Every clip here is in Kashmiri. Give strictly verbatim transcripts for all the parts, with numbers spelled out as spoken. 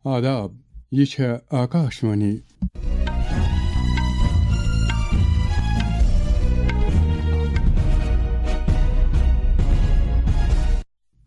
آداب، یہِ چھےٚ آکاشوانی۔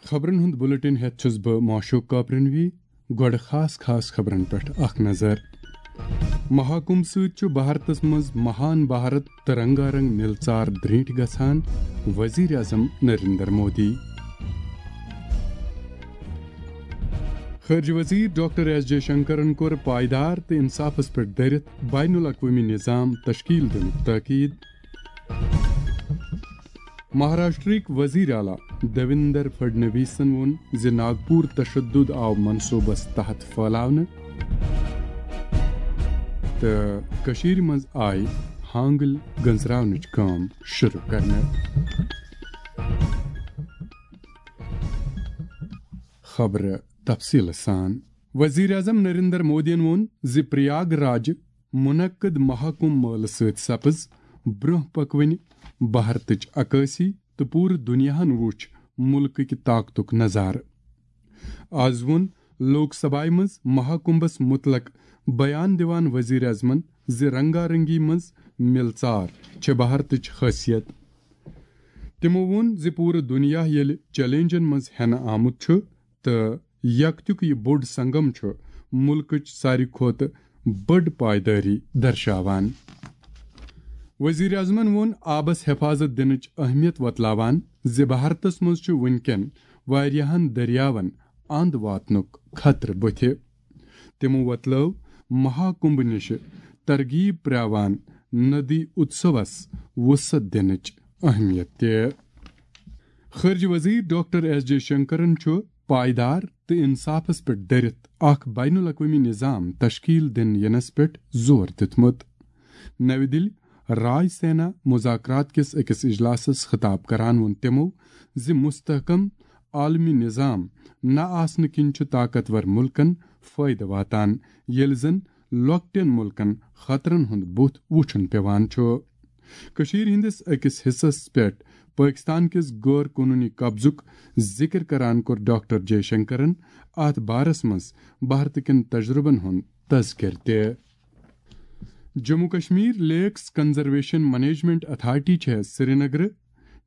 خبرن ہُنٛد بُلٹن ہٮ۪تھ چھُس بہٕ معشوق کاپرنوی۔ گۄڈٕ خاص خاص خبرن پٮ۪ٹھ اکھ نظر۔ مہاکُمبھ سۭتۍ چھُ بھارتس منٛز مہان بھارت تہٕ رنگا رنگ مِلژار درٛینٛٹھۍ گژھان، وزیر اعظم نریندر مودی۔ خارجہ وزیر ڈاکٹر ایس جے شنکرن کوٚر پائیدار تہٕ انصافس پٮ۪ٹھ دٔرِتھ بین الاقوٲمی نظام تشکیل دِنُک تاکید۔ مہاراشٹرٕکۍ وزیر اعلیٰ دیویندر فڈنویسن ووٚن زِ ناگپور تشدد آو منصوبس تحت پھٲلاونہٕ تہٕ کٔشیٖرِ منٛز آیہِ ہانگل گنزراونٕچ کٲم شروع کرنہٕ۔ خبرٕ تفصیٖلہٕ سان۔ وزیر اعظم نریندر مودیَن ووٚن زِ پریاگ راج منعقد مہاکمبھ مٲلہٕ سۭتۍ سپٕز برٛونٛہہ پکوٕنۍ بھارتٕچ عکٲسی تہٕ پوٗرٕ دُنیاہَن وُچھ مُلکٕکۍ طاقتُک نظارٕ۔ آز ووٚن لوک سبھایہ منٛز مہاکمبھس متعلق بیان دِوان وزیر اعظمن زِ رنگا رنگی منٛز مِلژار چھےٚ بھارتٕچ خٲصیت۔ تِمو ووٚن زِ پوٗرٕ دُنیا ییٚلہِ چیلنجن منٛز ہٮ۪نہٕ آمُت چھُ تہٕ یکتیُک یہِ بوٚڑ سنگم چھُ مُلکٕچ ساروی کھۄتہٕ بٔڑ پائیدٲری درشاوان۔ وزیر اعظمن ووٚن آبس حفاظت دِنٕچ اہمیت وۄتلاوان زِ بھارتس منٛز چھُ وُنکٮ۪ن واریاہن دٔریاون اند واتنُک خطرٕ بُتھِ۔ تِمو وۄتلٲو مہاکمبھ نِشہِ ترغیب پرٛاوان ندی اتسوس وسعت دِنٕچ اہمیت تہِ۔ خارجہ وزیر ڈاکٹر ایس جے شنکرن چھُ پائیدار تہٕ انصافس پٮ۪ٹھ دٔرِتھ اکھ بین الاقوٲمی نظام تشکیل دِنہٕ ینس پٮ۪ٹھ زور دیُتمُت۔ نَوِ دِلہِ رائے سینا مذاکرات کِس أکِس اجلاسس خطاب کران ووٚن تِمو زِ مستحکم عالمی نظام نہ آسنہٕ کِنۍ چھُ طاقتور مُلکن فٲیدٕ واتان، ییٚلہِ زن لۄکٹٮ۪ن مُلکن خطرن ہُنٛد بُتھ وُچھُن پٮ۪وان چھُ۔ کٔشیٖرِ ہٕنٛدِس أکِس حصس پٮ۪ٹھ پٲکِستان کِس غٲر قونوٗنی قبضُک ذِکر کران کوٚر ڈاکٹر جے شنکرن اتھ بارس منٛز بھارت کٮ۪ن تجرُبن ہُنٛد تذکرٕ تہِ۔ جموں کشمیر لیکس کنزرویشن مینجمنٹ اتھارٹی چھےٚ سرینگرٕ،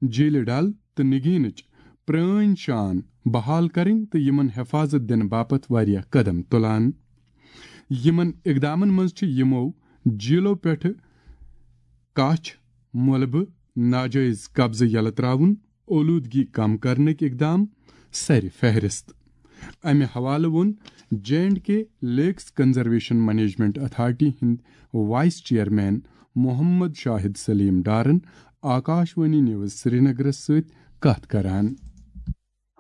جھیلہِ ڈل تہٕ نگینٕچ پرٲنۍ شان بحال کرٕنۍ تہٕ یِمن حفاظت دِنہٕ باپتھ واریاہ قدم تُلان۔ یِمن اقدامن منٛز چھِ یِمو جھیلو پٮ۪ٹھٕ کچھ، مۄلبہٕ، ناجٲیز قبضہٕ یلہٕ تراوُن، اولودگی کم کرنٕکۍ اقدام سرِ فہرست۔ امہِ حوالہٕ ووٚن J and K lakes conservation management authority ہٕنٛدۍ وائس چیئرمین محمد شاہد سلیم ڈارن آکاشوانی نیوز سرینگرس سۭتۍ کتھ کران۔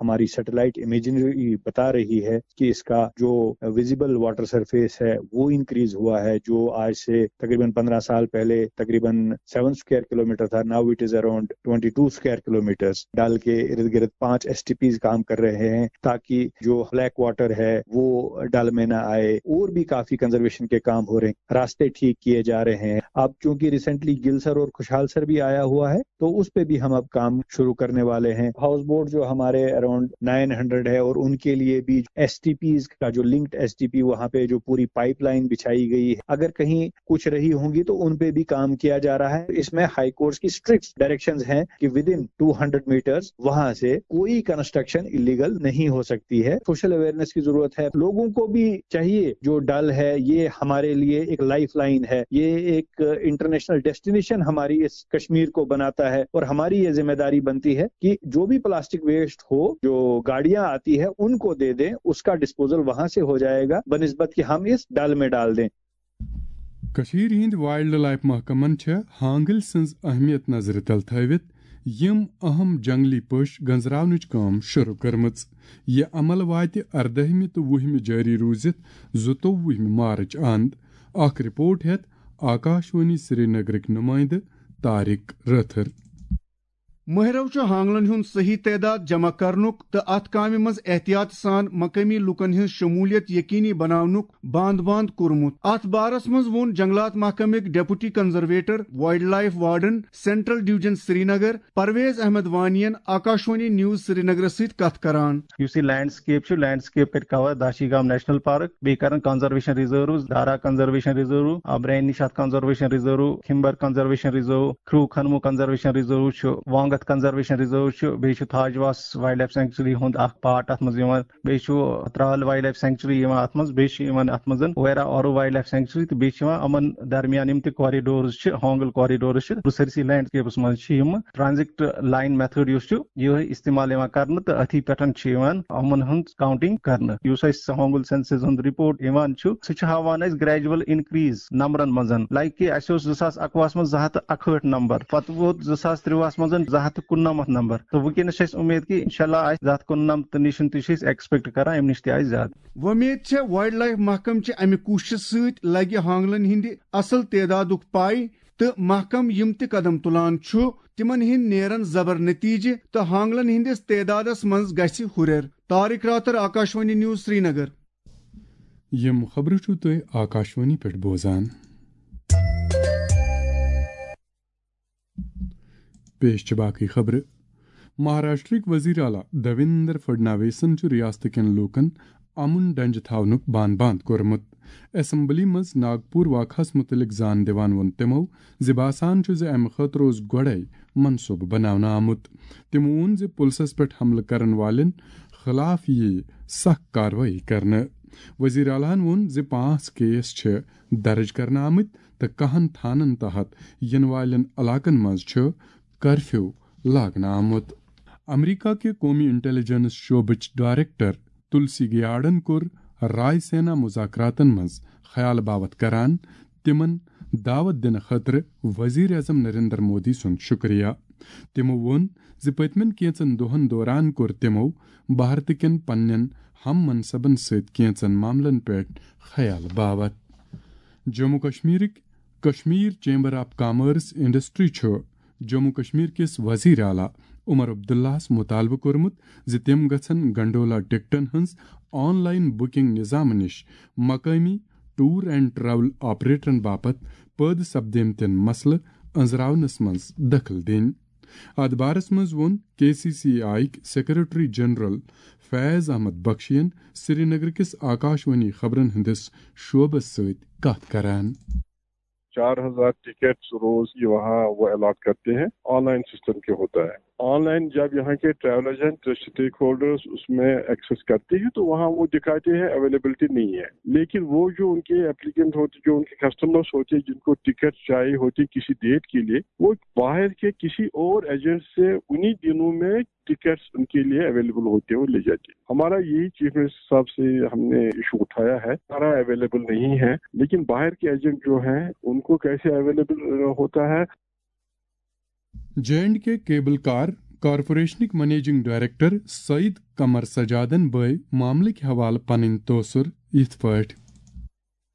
ہماری سیٹلائٹ امیجنری بتا رہی ہے کہ اس کا جو ویزیبل واٹر سرفیس ہے وہ انکریز ہوا ہے، جو آج سے تقریباً پندرہ سال پہلے تقریباً سیون اسکوائر کلومیٹر تھا، now it is around twenty two square kilometers. Dal کے ارد گرد پانچ ایس ٹی پیز کام کر رہے ہیں تاکہ جو بلیک واٹر ہے وہ ڈل میں نہ آئے، اور بھی کافی کنزرویشن کے کام ہو رہے ہیں، راستے ٹھیک کیے جا رہے ہیں۔ اب چونکہ ریسنٹلی گل سر اور خوشحال سر بھی آیا ہوا ہے تو اس پہ بھی ہم اب کام شروع کرنے والے ہیں۔ ہاؤس بوٹ جو ہمارے اراؤنڈ نائن ہنڈریڈ ہے اور ان کے لیے بھی ایس ٹی پیز کا جو لنکڈ ایس ٹی پی وہاں پہ جو پوری پائپ لائن بچھائی گئی ہے، اگر کہیں کچھ رہی ہوں گی تو ان پہ بھی کام کیا جا رہا ہے۔ اس میں ہائی کورٹس کی اسٹرکٹ ڈائریکشنز ہیں کہ ودن ٹو ہنڈریڈ میٹرز وہاں سے کوئی کنسٹرکشن الیگل نہیں ہو سکتی ہے۔ سوشل اویئرنیس کی ضرورت ہے، لوگوں کو بھی چاہیے، جو ڈل ہے یہ ہمارے لیے ایک لائف لائن ہے، یہ ایک انٹرنیشنل ڈیسٹینیشن ہماری اس کشمیر کو بناتا ہے اور ہماری یہ ذمہ داری بنتی ہے کہ جو بھی پلاسٹک ویسٹ ہو، جو گاڑیاں آتی ہے ان کو دے دیں، اس کا ڈسپوزل وہاں سے ہو جائے گا بنسبت کہ ہم اس ڈل میں ڈال دیں۔ کٔشیٖرِ ہٕنٛدۍ وائلڈ لائف محکمن چھےٚ ہانگل سٕنٛز اہمیت نظرِ تل تھٲوِتھ یِم اہم جنگلی پوش گنزراونٕچ کٲم شروع کٔرمٕژ۔ یہِ عمل واتہِ اردٲہمہِ تہٕ وُہمہِ جٲری روٗزِتھ زٕتووُہمہِ مارچ اند۔ اکھ رپورٹ ہیٚتھ آکاشوانی سرینگرٕکۍ نُمٲیندٕ طارق رٲتھٕر۔ مٲہرو چھُ ہانگلن ہُنٛد صحیح تعداد جمع کرنُک تہٕ اتھ کامہِ منٛز احتیاط سان مقٲمی لوٗکن ہٕنٛز شموٗلیت یقینی بناونُک باند باند کوٚرمُت۔ اتھ بارس منٛز ووٚن جنگلات محکمٕکۍ deputy conservator, wildlife warden, central division Srinagar, Parvez Ahmad Wani ین آکاشوانی نیوز سرینگرس سۭتۍ کتھ کران۔ یُس یہِ لینڈسکیپ چھُ، لینڈسکیپ کرِ کور داشی گام نیشنل پارک، بیٚیہِ کرن conservation reserves, Dara conservation reserve, Brein Nishat conservation reserve, Khimber conservation reserve, Khrew Khonmoh conservation reserve چھُ، وانگتھ کنزرویشن ریزرو چھُ، بیٚیہِ چھُ تھاجواس وائلڈ لائف سینکچری ہُنٛد اکھ پارٹ اتھ منٛز یِوان، بیٚیہِ چھُ ترال وائلڈ لائف سینکچری یِوان اتھ منٛز، بیٚیہِ چھُ یِوان اتھ منٛز ویرا آرو وائلڈ لائف سینکچری، تہٕ بیٚیہِ چھِ یِوان یِمن درمیان یِم تہِ کوریڈورز چھِ، ہانگل کوریڈورز چھِ، سٲرسٕے لینڈسکیپس منٛز چھِ یِم ٹرانزیکٹ لائن میتھڈ یُس چھُ، یِہوٚے استعمال یِوان کرنہٕ، تہٕ أتھی پٮ۪ٹھ چھِ یِوان یِمن ہٕنٛز کاؤنٹنگ کرنہٕ۔ یُس اَسہِ ہانگل سینسس ہُنٛد رپورٹ یِوان چھُ، سُہ چھُ ہاوان اَسہِ گریجول انکریز نمبرن منٛز۔ لائک کہِ اَسہِ اوس زٕ ساس اَکوُہس منٛز زٕ ہَتھ تہٕ اَکہٲٹھ نمبر، پتہٕ ووت زٕ ساس ترٛۆہَس منٛز زٕ ہَتھ تہٕ کُننَمَتھ نمبر، تہٕ وٕنکیٚنس چھِ اَسہِ اُمید کہِ انشاءاللہ آسہِ زٕ ہَتھ کُننَمَتھ نِش تہِ چھِ أسۍ ایکسپیکٹ کران، اَمہِ نِش تہِ آسہِ زیادٕ۔ وۄمید چھےٚ وائلڈ لائف محکمہٕ چہِ اَمہِ کوٗششہِ سۭتۍ لگہِ ہانگلن ہٕنٛدِ اصل تعدادُک پاے، تہٕ محکمہٕ یِم تہِ قدم تُلان چھُ، تِمن ہٕنٛدۍ نیرن زبر نتیجہٕ تہٕ ہانگلن ہٕنٛدِس تعدادس منٛز گژھِ ہُرٮ۪ر۔ طارق راتر، آکاشوانی نیوز، سرینگر۔ یِم خبرٕ چھِو تُہۍ آکاشوانی پٮ۪ٹھ بوزان۔ پیش چھِ باقٕے خبرٕ۔ مہاراشٹرٕکۍ وزیر اعلیٰ دیویندر فڈناویسن چھُ ریاستہٕ کٮ۪ن لوٗکن امن ڈنجہِ تھاونُک بان باند کوٚرمُت۔ اسمبلی منٛز ناگپور واقعس مُتعلق زان دِوان ووٚن تِمو زِ باسان چھُ زِ امہِ خٲطرٕ اوس گۄڈَے منصوبہٕ بناونہٕ آمُت۔ تِمو ووٚن زِ پُلسَس پٮ۪ٹھ حملہٕ کرن والٮ۪ن خلاف یِیہِ سخ کاروٲیی کرنہٕ۔ وزیر اعلیٰ ہَن ووٚن زِ پانٛژھ کیس چھِ درٕج کرنہٕ آمٕتۍ تہٕ کاہَن تھانن تحت یِنہٕ والٮ۪ن علاقن منٛز چھُ کرفیو لاگنہٕ آمُت۔ امریکہ کہِ قومی انٹیلیجنس شعبٕچ ڈائریکٹر تلسی گیارڈن کوٚر رائے سینا مذاکراتن منٛز خیال باوت کران تِمن دعوت دِنہٕ خٲطرٕ وزیر اعظم نریندر مودی سُنٛد شُکریہ۔ تِمو ووٚن زِ پٔتمٮ۪ن کینٛژن دۄہن دوران کوٚر تِمو بھارت کٮ۪ن پننٮ۪ن ہم منصبن سۭتۍ کینٛژن معاملن پٮ۪ٹھ خیال باوت۔ جموں کشمیرٕکۍ Kashmir chamber of commerce and industry چھُ جموں کشمیر کِس وزیر اعلیٰ عمر عبداللہَس مطالبہٕ کوٚرمُت زِ تِم گژھن گنڈولا ٹکٹن ہٕنٛز آن لائن بکنگ نظامہٕ نِش مقٲمی ٹور اینڈ ٹریول آپریٹرن باپتھ پٲدٕ سپدیمتٮ۪ن مسلہٕ أنٛزراونس منٛز دخل دِنۍ۔ اتھ بارس منٛز ووٚن کے سی سی آئی یٕکۍ سیکرٹری جنرل فیض احمد بخشین سرینگر کِس آکاشوانی خبرن ہٕنٛدِس شعبس سۭتۍ کتھ کران۔ چار ہزار ٹکٹس روز کی وہاں وہ الاٹ کرتے ہیں، آن لائن سسٹم کے ہوتا ہے۔ آن لائن جب یہاں کے ٹریول ایجنٹ، اسٹیک ہولڈرز اس میں ایکسس کرتے ہیں تو وہاں وہ دکھاتے ہیں اویلیبلٹی نہیں ہے، لیکن وہ جو ان کے اپلیکنٹ ہوتے، جو ان کے کسٹمرز ہوتے ہیں، جن کو ٹکٹ چاہیے ہوتی کسی ڈیٹ کے لیے، وہ باہر کے کسی اور ایجنٹ سے انہی دنوں میں ٹکٹس ان کے لیے اویلیبل ہوتے ہیں، وہ لے جاتے ہیں۔ ہمارا یہی چیف منسٹر صاحب سے ہم نے ایشو اٹھایا ہے، ہمارا اویلیبل نہیں ہے، لیکن باہر کے ایجنٹ جو ہیں ان کو کیسے اویلیبل ہوتا ہے۔ J and K cable car کارپوریشنٕکۍ منیجنگ ڈائریکٹر سعید قمر سجادن بٲوۍ معاملٕکۍ حوالہٕ پنٕنۍ تٲثر یِتھ پٲٹھۍ۔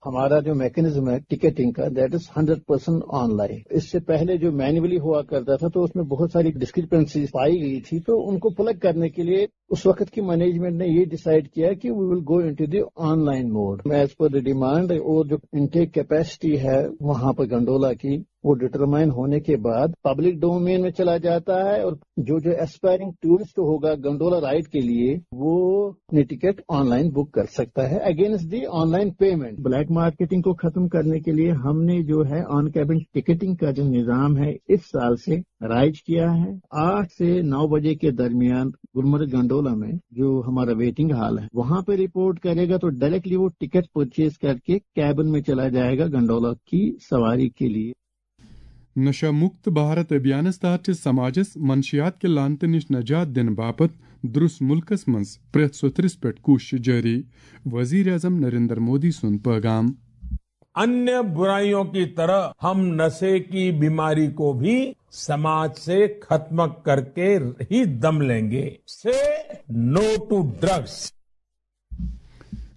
ہمارا جو میکانزم ہے ٹکٹنگ کا، that is hundred percent online. اس سے پہلے جو مینولی ہوا کرتا تھا تو اس میں بہت ساری ڈسکرپنسیز پائی گئی تھی، تو ان کو پلگ کرنے کے لیے اس وقت کی مینجمنٹ نے یہ ڈیسائیڈ کیا کہ we will go into the online mode as per the demand، اور جو انٹیک کیپیسٹی ہے وہاں پر گنڈولا کی، وہ ڈٹرمائن ہونے کے بعد پبلک ڈومین میں چلا جاتا ہے، اور جو جو ایسپائرنگ ٹورسٹ ہوگا گنڈولا رائیڈ کے لیے، وہ اپنی ٹکٹ آن لائن بک کر سکتا ہے against the online payment. Black marketing کو ختم کرنے کے لیے ہم نے جو ہے آن کیبن ٹکٹنگ کا جو نظام ہے اس سال سے رائج کیا ہے۔ آٹھ سے نو بجے کے درمیان گلمرگ گنڈولا میں جو ہمارا ویٹنگ ہال ہے، وہاں پہ رپورٹ کرے گا تو ڈائریکٹلی وہ ٹکٹ پرچیز کر کے کیبن میں چلا جائے گا گنڈولا کی سواری کے لیے۔ نشہ مکت بھارت ابھیانس تحت چھِ سماجس منشیات کہِ لعنتہٕ نِش نجات دِنہٕ باپتھ درُس مُلکس منٛز پرٛٮ۪تھ سوٚتھرِس پٮ۪ٹھ کوٗشش جٲری، وزیر اعظم نریندر مودی سُنٛد پٲغام۔ अन्य बुराइयों की तरह हम नशे की बीमारी को भी समाज से खत्म करके ही दम लेंगे। से नो टू ड्रग्स।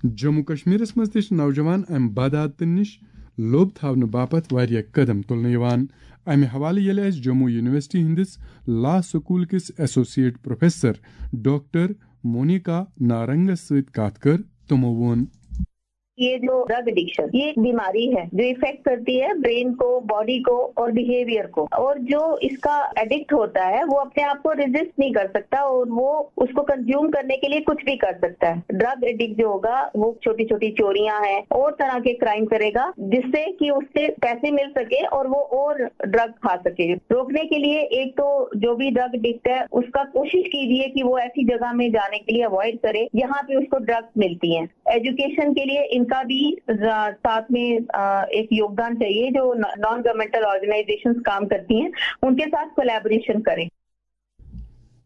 جموں کشمیرس منٛز تہِ چھِ نوجوان امہِ بدعاتن نِش لوٚب تھاونہٕ باپتھ واریاہ قدم تُلنہٕ یِوان۔ امہِ حوالہٕ ییٚلہِ اسہِ جموں یونیورسٹی ہٕنٛدِس لا سکول کِس ایسوسیٹ پروفیسر ڈاکٹر مونیکا نارنگس سۭتۍ کتھ کٔر، تِمو ووٚن۔ یہ جو ڈرگ ایڈکشن، یہ ایک بیماری ہے جو افیکٹ کرتی ہے برین کو، باڈی کو اور بیہیویئر کو۔ اور جو اس کا ایڈکٹ ہوتا ہے، وہ اپنے آپ کو ریزسٹ نہیں کر سکتا اور وہ اس کو کنزیوم کرنے کے لیے کچھ بھی کر سکتا ہے۔ ڈرگ ایڈکٹ جو ہوگا، وہ چھوٹی چھوٹی چوریاں ہیں اور طرح کے کرائم کرے گا، جس سے کہ اس سے پیسے مل سکے اور وہ اور ڈرگ کھا سکے۔ روکنے کے لیے ایک تو جو بھی ڈرگ ایڈکٹ ہے، اس کا کوشش کیجیے کہ وہ ایسی جگہ میں جانے کے لیے اوائڈ کرے جہاں پہ اس کو ڈرگس ملتی ہیں۔ ایجوکیشن کے لیے ان کا بھی ساتھ میں ایک یوگدان چاہیے۔ جو نان گورنمنٹل آرگنائزیشن کام کرتی ہیں، ان کے ساتھ کولیبوریشن کریں۔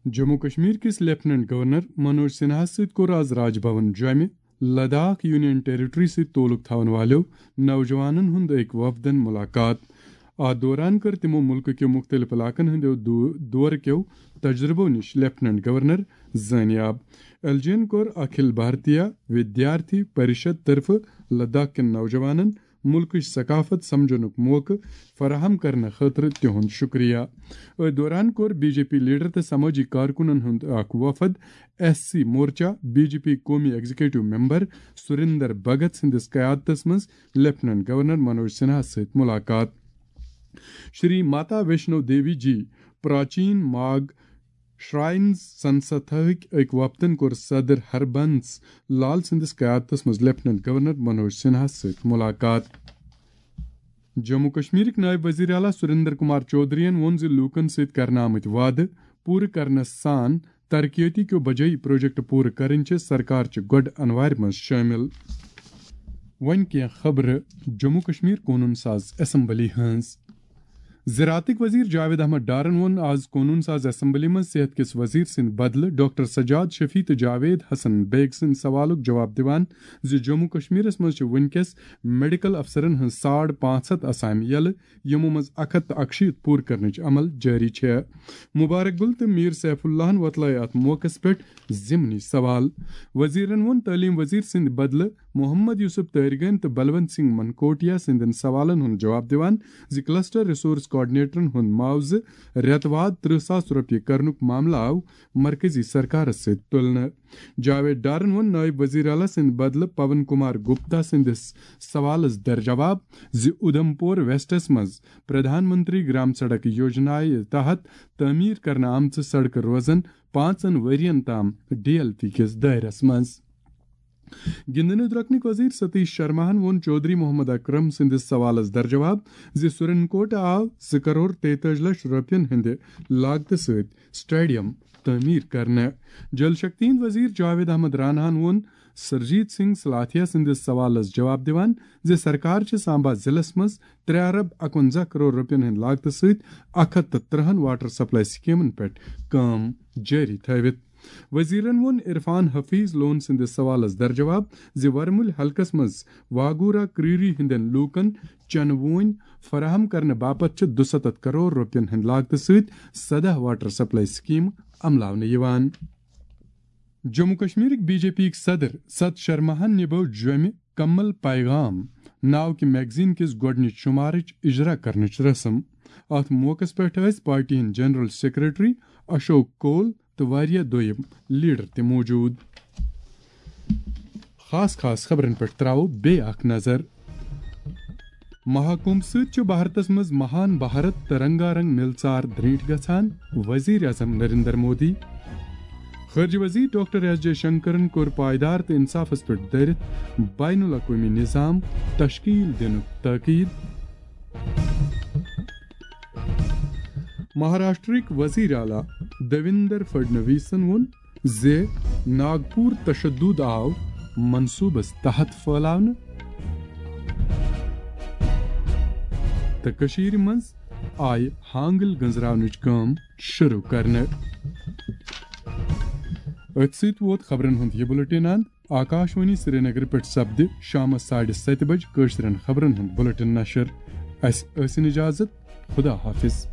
جموں کشمیر کِس لیفٹیننٹ گورنر منوج سنہاہَس سۭتۍ کوٚر آز راج بھون جوٚمہِ لداخ یونین ٹیریٹری سۭتۍ تعلق تھاون والٮ۪و نوجوانن ہُنٛد أکۍ وفدن ملاقات۔ اتھ دوران کٔر تِمو مُلکہٕ کیو مُختٔلِف علاقن ہٕنٛدیو دو-، دورٕ کیو تجربو نِش لیفٹیننٹ گورنر زٲنیاب۔ ایل جیَن کوٚر اکھل بھارتیہ ودیارتھی پریشد طرفہٕ لداخ کٮ۪ن نوجوانن مُلکٕچ ثقافت سمجھنُک موقعہٕ فراہم کرنہٕ خٲطرٕ تِہُنٛد شُکریہ۔ أتھۍ دوران کوٚر بی جے پی لیڈر تہٕ سمٲجی کارکُنن ہُنٛد اکھ وفد S C Morcha, B J P قومی ایگزیکٹو ممبر سریندر بھگت سٕنٛدِس قیادتس منٛز لیفٹیننٹ گورنر منوج سنہاہَس سۭتۍ ملاقات۔ شری ماتا ویشنو دیوی جی پراچین ماگ شراینز سنستھاہٕکۍ أکۍ وفدن کوٚر صدر ہربنس لال سٕنٛدِس قیادتس منٛز لیفٹیننٹ گورنر منوج سنہاہَس سۭتۍ ملاقات۔ جموں کشمیرٕکۍ نائب وزیر اعلیٰ سریندر کمار چودھرین ووٚن زِ لوٗکن سۭتۍ کرنہٕ آمٕتۍ وعدٕ پوٗرٕ کرنس سان ترقیتی کیو بجٲیی پروجیکٹ پوٗرٕ کرٕنۍ چھِ سرکار چہِ گۄڈٕ انوارِ منٛز شٲمِل۔ وۄنۍ کینٛہہ خبرٕ جموں کشمیر قونوٗن ساز اسمبلی ہٕنٛز۔ زراعتٕکۍ وزیر جاوید احمد ڈارن ووٚن آز قونوٗن ساز اسمبلی منٛز صحت کِس وزیر سٕنٛدِ بدلہٕ ڈاکٹر سجاد شفیع تہٕ جاوید حسن بیگ سٕنٛدِ سوالُک جواب دِوان زِ جموں کشمیرس منٛز چھِ وُنکیٚس میڈیکل افسرن ہٕنٛز ساڑ پانٛژھ ہتھ اسامہِ یلہٕ، یِمو منٛز اکھ ہتھ تہٕ اکشیٖتھ پوٗرٕ کرنٕچ عمل جٲری چھےٚ۔ مبارک گل تہٕ میر سیف اللہن وۄتلٲے اتھ موقعس پٮ۪ٹھ ضمنی سوال۔ وزیرن ووٚن تعلیٖم وزیر سٕنٛدِ بدلہٕ محمد یوسف تٲرگن تہٕ بلونت سنگھ منکوٹیا سٕنٛدٮ۪ن سوالن ہُنٛد جواب دِوان زِ کلسٹر ریسورس کوآرڈینیٹرن ہُنٛد معاوضہٕ رٮ۪تہٕ واد ترٕہ ساس رۄپیہِ کرنُک معاملہٕ آو مرکزی سرکارس سۭتۍ تُلنہٕ۔ جاوید ڈارن ووٚن نائب وزیر اعلیٰ سٕنٛدِ بدلہٕ پون کمار گپتا سٕنٛدِس سوالس در جواب زِ اُدھمپور ویسٹس منٛز پردھان منتری گرام سڑک یوجنایہِ تحت تعمیٖر کرنہٕ آمژٕ سڑکہٕ روزن پانٛژن ؤرین تام ڈی ایل پی کِس دٲیرس منٛز۔ گِنٛدنہٕ درۄکنٕکۍ وزیر ستیش شرماہن ووٚن چودھری محمد اکرم سٕنٛدِس سوالس در جواب زِ سرین کوٹہٕ آو زٕ کرور تیتٲجی لچھ رۄپین ہٕنٛدِ لاگتہٕ سۭتۍ سٹیڈیم تعمیٖر کرنہٕ۔ جل شکتی ہٕنٛدۍ وزیر جاوید احمد راناہن ووٚن سرجیت سنگھ سلاتھیا سٕنٛدِس سوالس جواب دِوان زِ سرکار چھِ سامبا ضلعس منٛز ترٛےٚ ارب اکونزہ کرور رۄپین ہٕنٛدِ لاگتہٕ سۭتۍ اکھ ہتھ تہٕ ترٕہن واٹر سپلائی سکیمن پٮ۪ٹھ کٲم جٲری تھٲوِتھ۔ وزیرن ووٚن عرفان حفیظ لون سٕنٛدِس سوالس در جواب زِ ورمُلۍ حلقس منٛز واگورا کریری ہٕنٛدٮ۪ن لوٗکن چنہٕ ووٗنۍ فراہم کرنہٕ باپتھ چھِ دُستتھ کرور رۄپین ہٕنٛدِ لاگتہٕ سۭتۍ سداہ واٹر سپلائی سکیمہٕ عملاونہٕ یِوان۔ جموں کشمیرٕکۍ بی جے پی یٕکۍ صدر ست شرماہن نِبٲو جوٚمہِ کمل پیغام ناو کہِ میگزین کِس گۄڈٕنِچ شُمارٕچ اجرا کرنٕچ رسم۔ اتھ موقعس پٮ۪ٹھ ٲسۍ پارٹی ہٕنٛدۍ جنرل سیکرٹری اشوک کول تہٕ واریاہ دوٚیِم لیڈر تہِ موجود۔ خاص خاص خبرن پٮ۪ٹھ تراوو بیٚیہِ اکھ نظر۔ مہاکُمبھ سۭتۍ چھُ بھارتس منٛز مہان بھارت تہٕ رنگا رنگ مِلژار درینٹھ گژھان، وزیر اعظم نریندر مودی۔ خارجہ وزیر ڈاکٹر ایس جے شنکرن کوٚر پائیدار تہٕ انصافس پٮ۪ٹھ دٲرِتھ بین الاقوٲمی نظام تشکیل دِنُک تاکید۔ مہاراشٹرٕکۍ وزیر اعلیٰ دیویندر فڈنویسن ووٚن زِ ناگپور تشدد آو منصوبس تحت پھٲلاونہٕ تہٕ کٔشیٖرِ منٛز آیہِ ہانگل گنزراونٕچ کٲم شروع کرنہٕ۔ أتھۍ سۭتۍ ووت خبرن ہُنٛد یہِ بُلٹن اند۔ آکاشوانی سرینگر پٮ۪ٹھ سپدِ شامس ساڑِ ستہِ بجہِ کٲشرٮ۪ن خبرن ہُنٛد بُلٹن نشر۔ اسہِ ٲسِن اجازت۔ خدا حافظ۔